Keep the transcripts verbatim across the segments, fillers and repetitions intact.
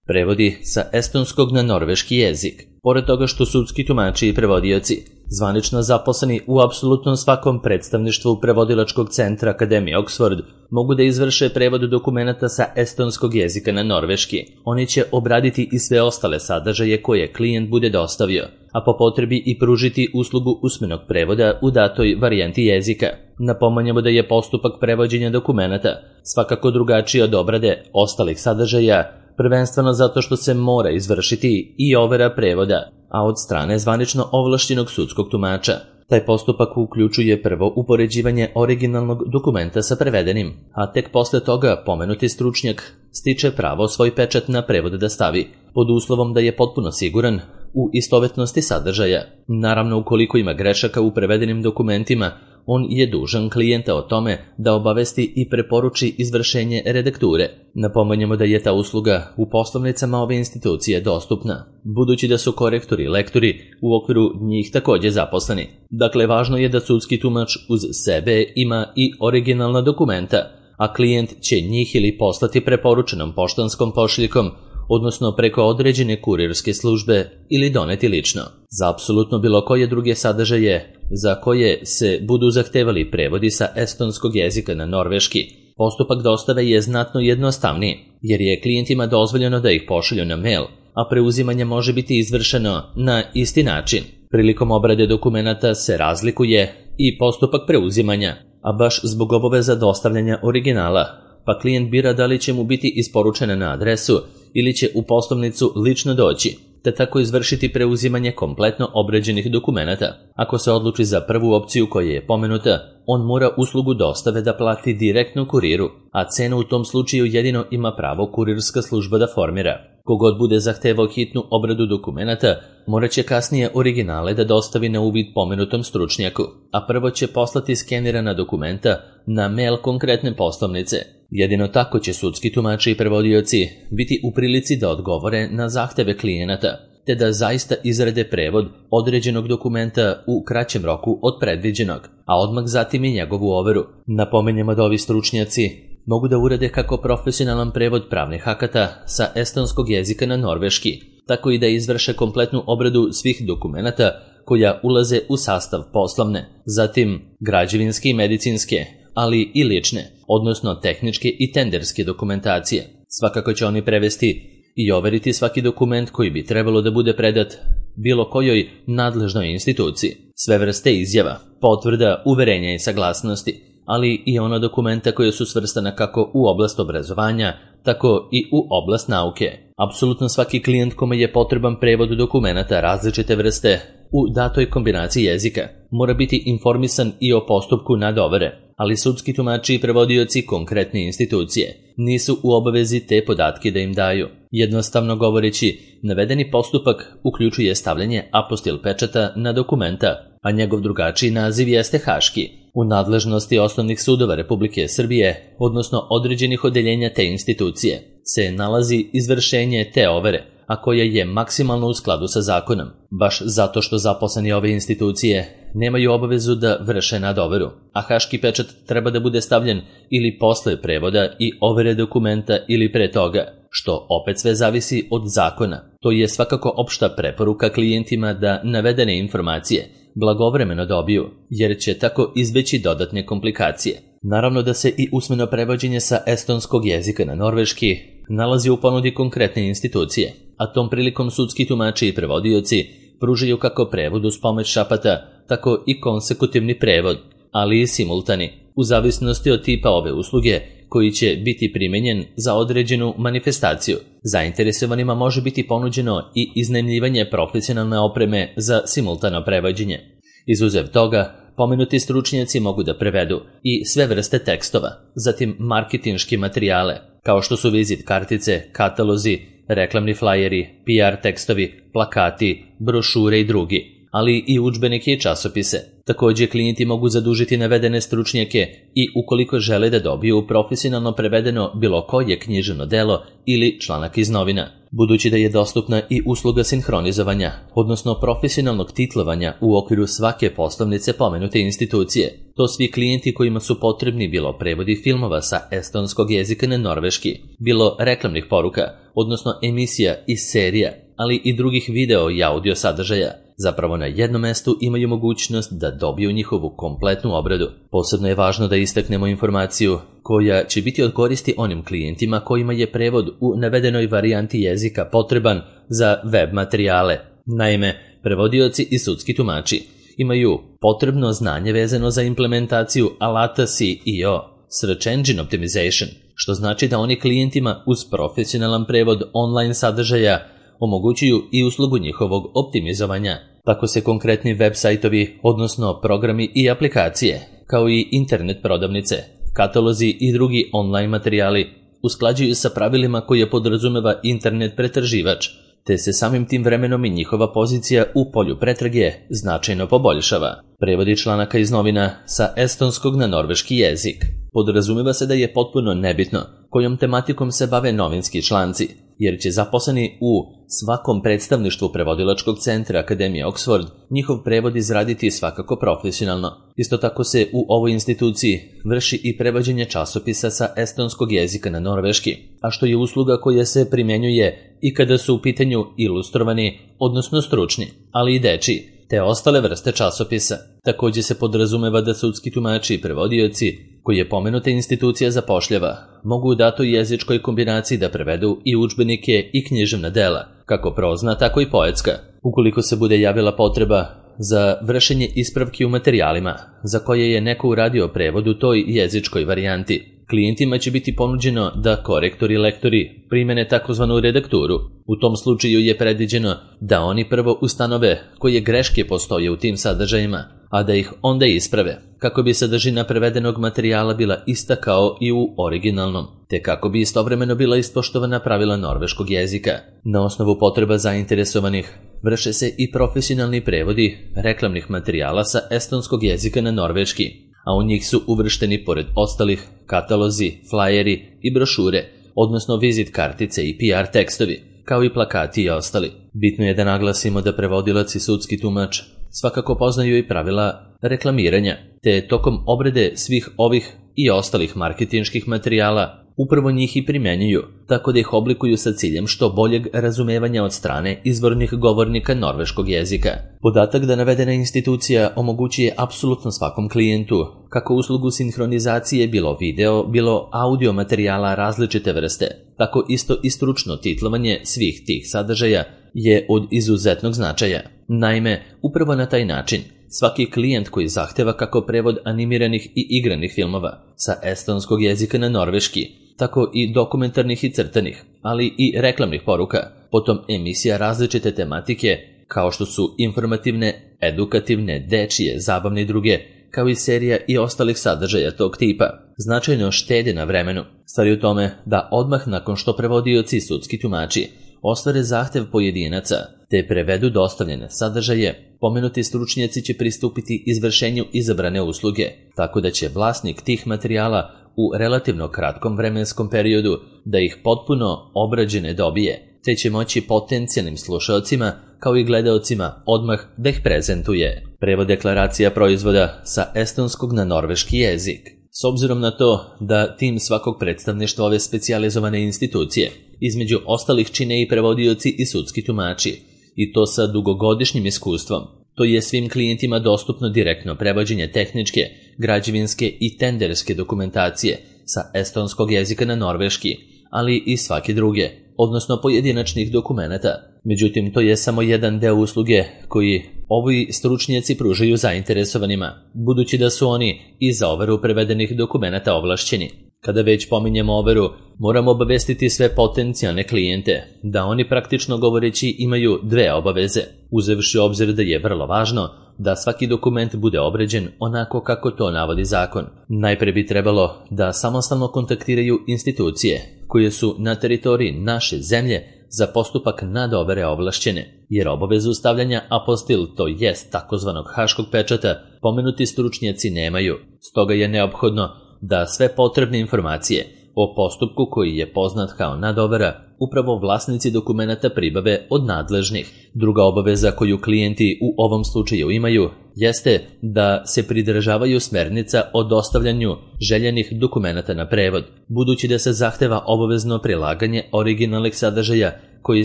Prevodi sa estonskog na norveški jezik. Pored toga što sudski tumači i prevodioci, zvanično zaposleni u apsolutno svakom predstavništvu prevodilačkog centra Akademije Oxford, mogu da izvrše prevod dokumenata sa estonskog jezika na norveški. Oni će obraditi i sve ostale sadržaje koje klijent bude dostavio, a po potrebi i pružiti uslugu usmenog prevoda u datoj varijanti jezika. Napominjemo da je postupak prevođenja dokumenata svakako drugačiji od obrade ostalih sadržaja, prvenstveno zato što se mora izvršiti i overa prevoda, a od strane zvanično ovlašćenog sudskog tumača. Taj postupak uključuje prvo upoređivanje originalnog dokumenta sa prevedenim, a tek posle toga pomenuti stručnjak stiče pravo svoj pečat na prevod da stavi, pod uslovom da je potpuno siguran u istovetnosti sadržaja. Naravno, ukoliko ima grešaka u prevedenim dokumentima, on je dužan klijenta o tome da obavesti i preporuči izvršenje redakture. Napominjemo da je ta usluga u poslovnicama ove institucije dostupna, budući da su korektori i lektori u okviru njih takođe zaposleni. Dakle, važno je da sudski tumač uz sebe ima i originalna dokumenta, a klijent će njih ili poslati preporučenom poštanskom pošiljkom, odnosno preko određene kurirske službe ili doneti lično. Za apsolutno bilo koje druge sadržaje za koje se budu zahtevali prevodi sa estonskog jezika na norveški, postupak dostave je znatno jednostavniji, jer je klijentima dozvoljeno da ih pošalju na mail, a preuzimanje može biti izvršeno na isti način. Prilikom obrade dokumenata se razlikuje i postupak preuzimanja, a baš zbog obaveza dostavljanja originala, pa klijent bira da li će mu biti isporučena na adresu ili će u poslovnicu lično doći, te tako izvršiti preuzimanje kompletno obrađenih dokumenata. Ako se odluči za prvu opciju koja je pomenuta, on mora uslugu dostave da plati direktno kuriru, a cenu u tom slučaju jedino ima pravo kurirska služba da formira. Kogod bude zahtevao hitnu obradu dokumenata, morat će kasnije originale da dostavi na uvid pomenutom stručnjaku, a prvo će poslati skenirana dokumenta na mail konkretne poslovnice. Jedino tako će sudski tumači i prevodioci biti u prilici da odgovore na zahteve klijenata, te da zaista izrade prevod određenog dokumenta u kraćem roku od predviđenog, a odmah zatim i njegovu overu. Napominjemo da ovi stručnjaci mogu da urade kako profesionalan prevod pravnih akata sa estonskog jezika na norveški, tako i da izvrše kompletnu obradu svih dokumenata koja ulaze u sastav poslovne, zatim građevinske i medicinske, ali i lične, odnosno tehničke i tenderske dokumentacije. Svakako će oni prevesti i overiti svaki dokument koji bi trebalo da bude predat bilo kojoj nadležnoj instituciji. Sve vrste izjava, potvrda, uverenja i saglasnosti, ali i ona dokumenta koja su svrstana kako u oblast obrazovanja, tako i u oblast nauke. Apsolutno svaki klijent kome je potreban prevod dokumenata različite vrste u datoj kombinaciji jezika mora biti informisan i o postupku nadovere, ali sudski tumači i prevodioci konkretne institucije nisu u obavezi te podatke da im daju. Jednostavno govoreći, navedeni postupak uključuje stavljanje apostil pečata na dokumenta, a njegov drugačiji naziv jeste haški. U nadležnosti osnovnih sudova Republike Srbije, odnosno određenih odeljenja te institucije, se nalazi izvršenje te overe, a koja je maksimalno u skladu sa zakonom, baš zato što zaposleni ove institucije nemaju obavezu da vrše nadoveru, a haški pečat treba da bude stavljen ili posle prevoda i overe dokumenta ili pre toga, što opet sve zavisi od zakona. To je svakako opšta preporuka klijentima da navedene informacije blagovremeno dobiju, jer će tako izbeći dodatne komplikacije. Naravno da se i usmeno prevođenje sa estonskog jezika na norveški nalazi u ponudi konkretne institucije, a tom prilikom sudski tumači i prevodioci pružaju kako prevod uz pomoć šapata, tako i konsekutivni prevod, ali i simultani, u zavisnosti od tipa ove usluge koji će biti primenjen za određenu manifestaciju. Zainteresovanima može biti ponuđeno i iznajmljivanje profesionalne opreme za simultano prevođenje. Izuzev toga, pomenuti stručnjaci mogu da prevedu i sve vrste tekstova, zatim marketinške materijale, kao što su vizit kartice, katalozi, reklamni flajeri, P R tekstovi, plakati, brošure i drugi, ali i udžbenike i časopise. Takođe, klijenti mogu zadužiti navedene stručnjake i ukoliko žele da dobiju profesionalno prevedeno bilo koje književno delo ili članak iz novina. Budući da je dostupna i usluga sinhronizovanja, odnosno profesionalnog titlovanja u okviru svake poslovnice pomenute institucije, to svi klijenti kojima su potrebni bilo prevodi filmova sa estonskog jezika na norveški, bilo reklamnih poruka, odnosno emisija i serija, ali i drugih video i audio sadržaja, zapravo na jednom mestu imaju mogućnost da dobiju njihovu kompletnu obradu. Posebno je važno da istaknemo informaciju koja će biti od koristi onim klijentima kojima je prevod u navedenoj varijanti jezika potreban za web materijale. Naime, prevodioci i sudski tumači imaju potrebno znanje vezano za implementaciju alata S E O, Search Engine Optimization, što znači da oni klijentima uz profesionalan prevod online sadržaja omogućuju i uslugu njihovog optimizovanja. Tako se konkretni web sajtovi, odnosno programi i aplikacije, kao i internet prodavnice, katalozi i drugi online materijali usklađuju sa pravilima koje podrazumeva internet pretraživač, te se samim tim vremenom i njihova pozicija u polju pretrage značajno poboljšava. Prevodi članaka iz novina sa estonskog na norveški jezik. Podrazumeva se da je potpuno nebitno kojom tematikom se bave novinski članci, jer će zaposleni u svakom predstavništvu prevodilačkog centra Akademije Oxford njihov prevod izraditi svakako profesionalno. Isto tako se u ovoj instituciji vrši i prevođenje časopisa sa estonskog jezika na norveški, a što je usluga koja se primjenjuje i kada su u pitanju ilustrovani, odnosno stručni, ali i dečiji, te ostale vrste časopisa. Također se podrazumeva da sudski tumači i prevodioci, koji je pomenuta institucija zapošljava, mogu u datoj jezičkoj kombinaciji da prevedu i udžbenike i književna dela, kako prozna, tako i poetska. Ukoliko se bude javila potreba za vršenje ispravki u materijalima za koje je neko uradio prevod u toj jezičkoj varijanti, klijentima će biti ponuđeno da korektori i lektori primene takozvanu redakturu. U tom slučaju je predviđeno da oni prvo ustanove koje greške postoje u tim sadržajima, a da ih onda isprave, kako bi sadržina prevedenog materijala bila ista kao i u originalnom, te kako bi istovremeno bila ispoštovana pravila norveškog jezika. Na osnovu potreba zainteresovanih vrše se i profesionalni prevodi reklamnih materijala sa estonskog jezika na norveški, a u njih su uvršteni pored ostalih katalozi, flajeri i brošure, odnosno vizit kartice i P R tekstovi, kao i plakati i ostali. Bitno je da naglasimo da prevodilac i sudski tumač svakako poznaju i pravila reklamiranja, te tokom obrade svih ovih i ostalih marketinških materijala upravo njih i primjenjuju, tako da ih oblikuju sa ciljem što boljeg razumevanja od strane izvornih govornika norveškog jezika. Podatak da navedena institucija omogućuje apsolutno svakom klijentu kako uslugu sinhronizacije bilo video, bilo audio materijala različite vrste, tako isto i stručno titlovanje svih tih sadržaja je od izuzetnog značaja. Naime, upravo na taj način svaki klijent koji zahteva kako prevod animiranih i igranih filmova sa estonskog jezika na norveški, tako i dokumentarnih i crtanih, ali i reklamnih poruka, potom emisija različite tematike kao što su informativne, edukativne, dečije, zabavne i druge, kao i serija i ostalih sadržaja tog tipa, značajno štede na vremenu. Stvar je u tome da odmah nakon što prevodioci i sudski tumači ostvare zahtev pojedinaca te prevedu dostavljene sadržaje, pomenuti stručnjaci će pristupiti izvršenju izabrane usluge, tako da će vlasnik tih materijala u relativno kratkom vremenskom periodu da ih potpuno obrađene dobije, te će moći potencijalnim slušaocima kao i gledaocima odmah da ih prezentuje. Prevod deklaracija proizvoda sa estonskog na norveški jezik. S obzirom na to da tim svakog predstavništva ove specijalizovane institucije između ostalih čine i prevodioci i sudski tumači, i to sa dugogodišnjim iskustvom, to je svim klijentima dostupno direktno prevođenje tehničke, građevinske i tenderske dokumentacije sa estonskog jezika na norveški, ali i svake druge, odnosno pojedinačnih dokumenata. Međutim, to je samo jedan deo usluge koji ovi stručnjaci pružaju zainteresovanima, budući da su oni i za overu prevedenih dokumenata ovlašćeni. Kada već pominjemo overu, moramo obavestiti sve potencijalne klijente da oni praktično govoreći imaju dve obaveze, uzevši u obzir da je vrlo važno da svaki dokument bude obrađen onako kako to navodi zakon. Najpre bi trebalo da samostalno kontaktiraju institucije koje su na teritoriji naše zemlje za postupak nadovere ovlašćene, jer obavezu stavljanja apostil, to jest takozvanog haškog pečata, pomenuti stručnjaci nemaju. Stoga je neophodno da sve potrebne informacije o postupku koji je poznat kao nadovera, upravo vlasnici dokumenata pribave od nadležnih. Druga obaveza koju klijenti u ovom slučaju imaju jeste da se pridržavaju smernica o dostavljanju željenih dokumenata na prevod, budući da se zahteva obavezno prilaganje originalnih sadržaja koji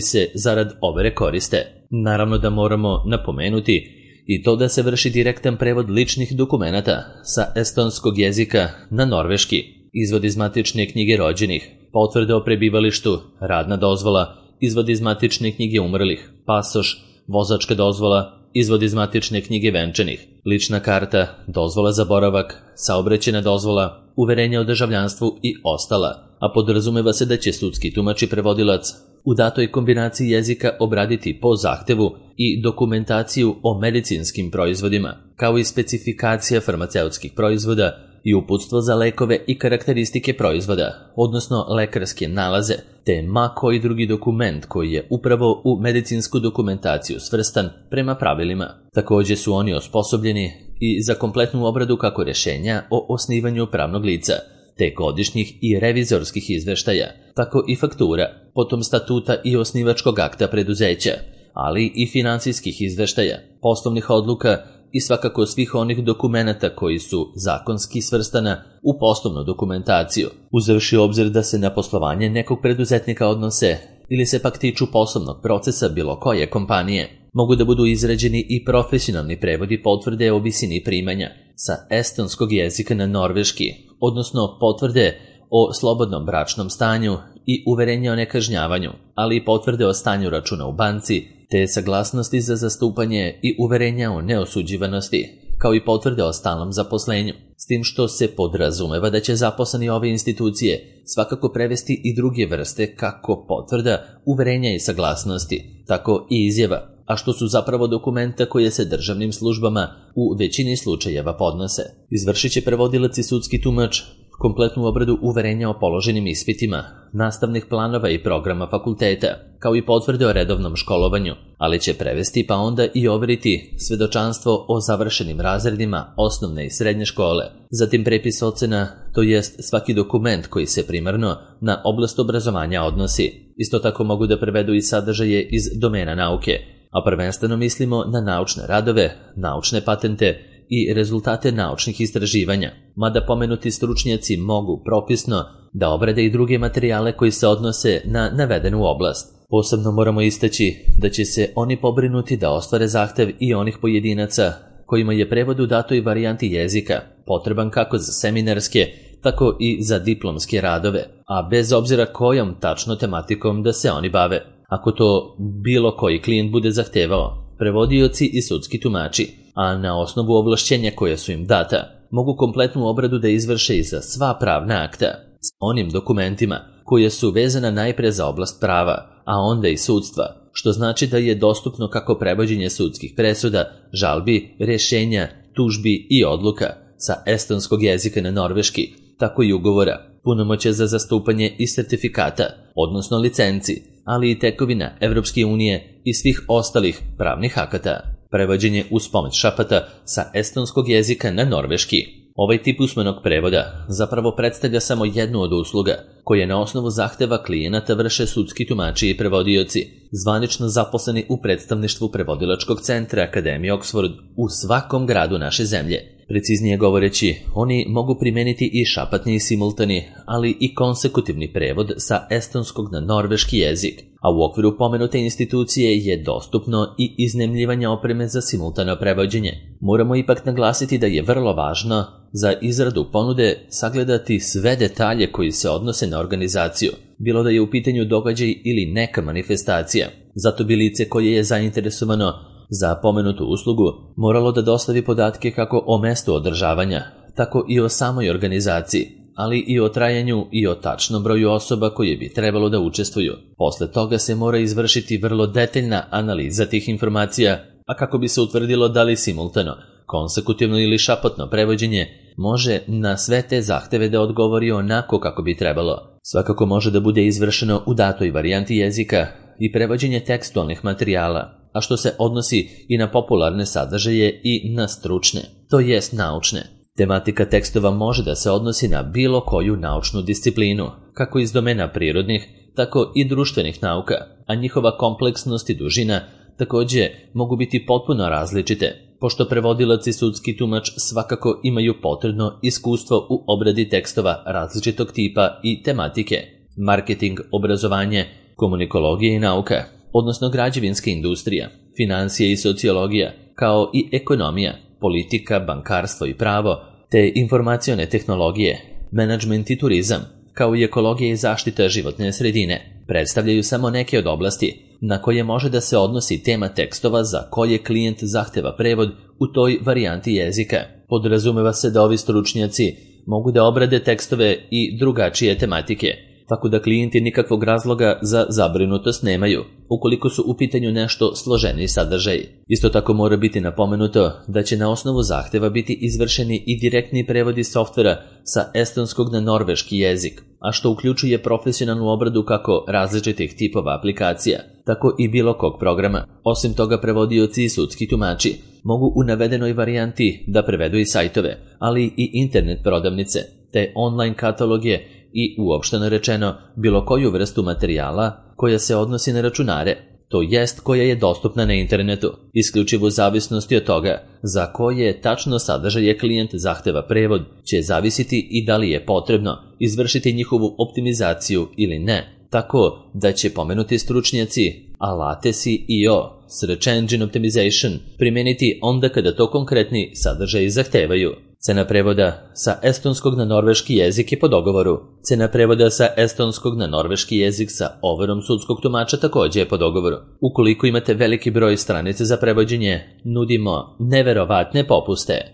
se zarad overe koriste. Naravno da moramo napomenuti i to da se vrši direktan prevod ličnih dokumenata sa estonskog jezika na norveški, izvod iz matične knjige rođenih, potvrde o prebivalištu, radna dozvola, izvod iz matične knjige umrlih, pasoš, vozačka dozvola, izvod iz matične knjige venčanih, lična karta, dozvola za boravak, saobraćajna dozvola, uverenje o državljanstvu i ostala, a podrazumeva se da će sudski tumač i prevodilac u datoj kombinaciji jezika obraditi po zahtevu i dokumentaciju o medicinskim proizvodima, kao i specifikacija farmaceutskih proizvoda i uputstvo za lekove i karakteristike proizvoda, odnosno lekarske nalaze, te ma koji drugi dokument koji je upravo u medicinsku dokumentaciju svrstan prema pravilima. Također su oni osposobljeni i za kompletnu obradu kako rješenja o osnivanju pravnog lica, te godišnjih i revizorskih izveštaja, tako i faktura, potom statuta i osnivačkog akta preduzeća, ali i finansijskih izveštaja, poslovnih odluka i svakako svih onih dokumenata koji su zakonski svrstana u poslovnu dokumentaciju, uzevši obzir da se na poslovanje nekog preduzetnika odnose ili se pak tiču poslovnog procesa bilo koje kompanije. Mogu da budu izrađeni i profesionalni prevodi potvrde o visini primanja sa estonskog jezika na norveški, odnosno potvrde o slobodnom bračnom stanju i uverenja o nekažnjavanju, ali i potvrde o stanju računa u banci, te saglasnosti za zastupanje i uverenja o neosuđivanosti, kao i potvrde o stalnom zaposlenju, s tim što se podrazumeva da će zaposleni ove institucije svakako prevesti i druge vrste kako potvrda, uverenja i saglasnosti, tako i izjava, a što su zapravo dokumenta koje se državnim službama u većini slučajeva podnose. Izvršit će prevodilac i sudski tumač kompletnu obradu uverenja o položenim ispitima, nastavnih planova i programa fakulteta, kao i potvrde o redovnom školovanju, ali će prevesti pa onda i overiti svedočanstvo o završenim razredima osnovne i srednje škole, zatim prepis ocena, to jest svaki dokument koji se primarno na oblast obrazovanja odnosi. Isto tako mogu da prevedu i sadržaje iz domena nauke, a prvenstveno mislimo na naučne radove, naučne patente i rezultate naučnih istraživanja, mada pomenuti stručnjaci mogu propisno da obrade i druge materijale koji se odnose na navedenu oblast. Posebno moramo istaći da će se oni pobrinuti da ostvare zahtev i onih pojedinaca kojima je prevod u datoj varijanti jezika potreban kako za seminarske, tako i za diplomske radove, a bez obzira kojom tačno tematikom da se oni bave. Ako to bilo koji klijent bude zahtevao, prevodioci i sudski tumači, a na osnovu ovlašćenja koja su im data, mogu kompletnu obradu da izvrše i za sva pravna akta, s onim dokumentima koje su vezana najpre za oblast prava, a onda i sudstva, što znači da je dostupno kako prevođenje sudskih presuda, žalbi, rješenja, tužbi i odluka sa estonskog jezika na norveški, tako i ugovora, punomoćja za zastupanje i sertifikata, odnosno licenci, ali i tekovina Evropske unije i svih ostalih pravnih akata. Prevođenje uz pomoć šapata sa estonskog jezika na norveški. Ovaj tip usmenog prevoda zapravo predstavlja samo jednu od usluga koje na osnovu zahteva klijenata vrše sudski tumači i prevodioci, zvanično zaposleni u predstavništvu prevodilačkog centra Akademije Oxford u svakom gradu naše zemlje. Preciznije govoreći, oni mogu primeniti i šapatni i simultani, ali i konsekutivni prevod sa estonskog na norveški jezik, a u okviru pomenute institucije je dostupno i iznajmljivanje opreme za simultano prevođenje. Moramo ipak naglasiti da je vrlo važno za izradu ponude sagledati sve detalje koji se odnose na organizaciju, bilo da je u pitanju događaj ili neka manifestacija. Zato bi lice koje je zainteresovano za pomenutu uslugu moralo da dostavi podatke kako o mestu održavanja, tako i o samoj organizaciji, ali i o trajanju i o tačnom broju osoba koje bi trebalo da učestvuju. Posle toga se mora izvršiti vrlo detaljna analiza tih informacija, a kako bi se utvrdilo da li simultano, konsekutivno ili šapotno prevođenje može na sve te zahteve da odgovori onako kako bi trebalo. Svakako može da bude izvršeno u datoj varijanti jezika i prevođenje tekstualnih materijala, a što se odnosi i na popularne sadržaje i na stručne, to jest naučne. Tematika tekstova može da se odnosi na bilo koju naučnu disciplinu, kako iz domena prirodnih, tako i društvenih nauka, a njihova kompleksnost i dužina takođe mogu biti potpuno različite, pošto prevodilac i sudski tumač svakako imaju potrebno iskustvo u obradi tekstova različitog tipa i tematike, marketing, obrazovanje, komunikologija i nauka, odnosno građevinska industrija, financije i sociologija, kao i ekonomija, politika, bankarstvo i pravo, te informacione tehnologije, menadžment i turizam, kao i ekologija i zaštita životne sredine, predstavljaju samo neke od oblasti na koje može da se odnosi tema tekstova za koje klijent zahteva prevod u toj varijanti jezika. Podrazumeva se da ovi stručnjaci mogu da obrade tekstove i drugačije tematike, tako da klijenti nikakvog razloga za zabrinutost nemaju, ukoliko su u pitanju nešto složeniji sadržaj. Isto tako mora biti napomenuto da će na osnovu zahteva biti izvršeni i direktni prevodi softvera sa estonskog na norveški jezik, a što uključuje profesionalnu obradu kako različitih tipova aplikacija, tako i bilo kog programa. Osim toga, prevodioci i sudski tumači mogu u navedenoj varijanti da prevedu i sajtove, ali i internet prodavnice, te online kataloge i uopšteno rečeno bilo koju vrstu materijala koja se odnosi na računare, to jest koja je dostupna na internetu, isključivo u zavisnosti od toga za koje tačno sadržaje klijent zahteva prevod će zavisiti i da li je potrebno izvršiti njihovu optimizaciju ili ne, tako da će pomenuti stručnjaci alate S E O, Search Engine Optimization, primeniti onda kada to konkretni sadržaji zahtevaju. Cena prevoda sa estonskog na norveški jezik je po dogovoru. Cena prevoda sa estonskog na norveški jezik sa overom sudskog tumača takođe je po dogovoru. Ukoliko imate veliki broj stranica za prevođenje, nudimo neverovatne popuste.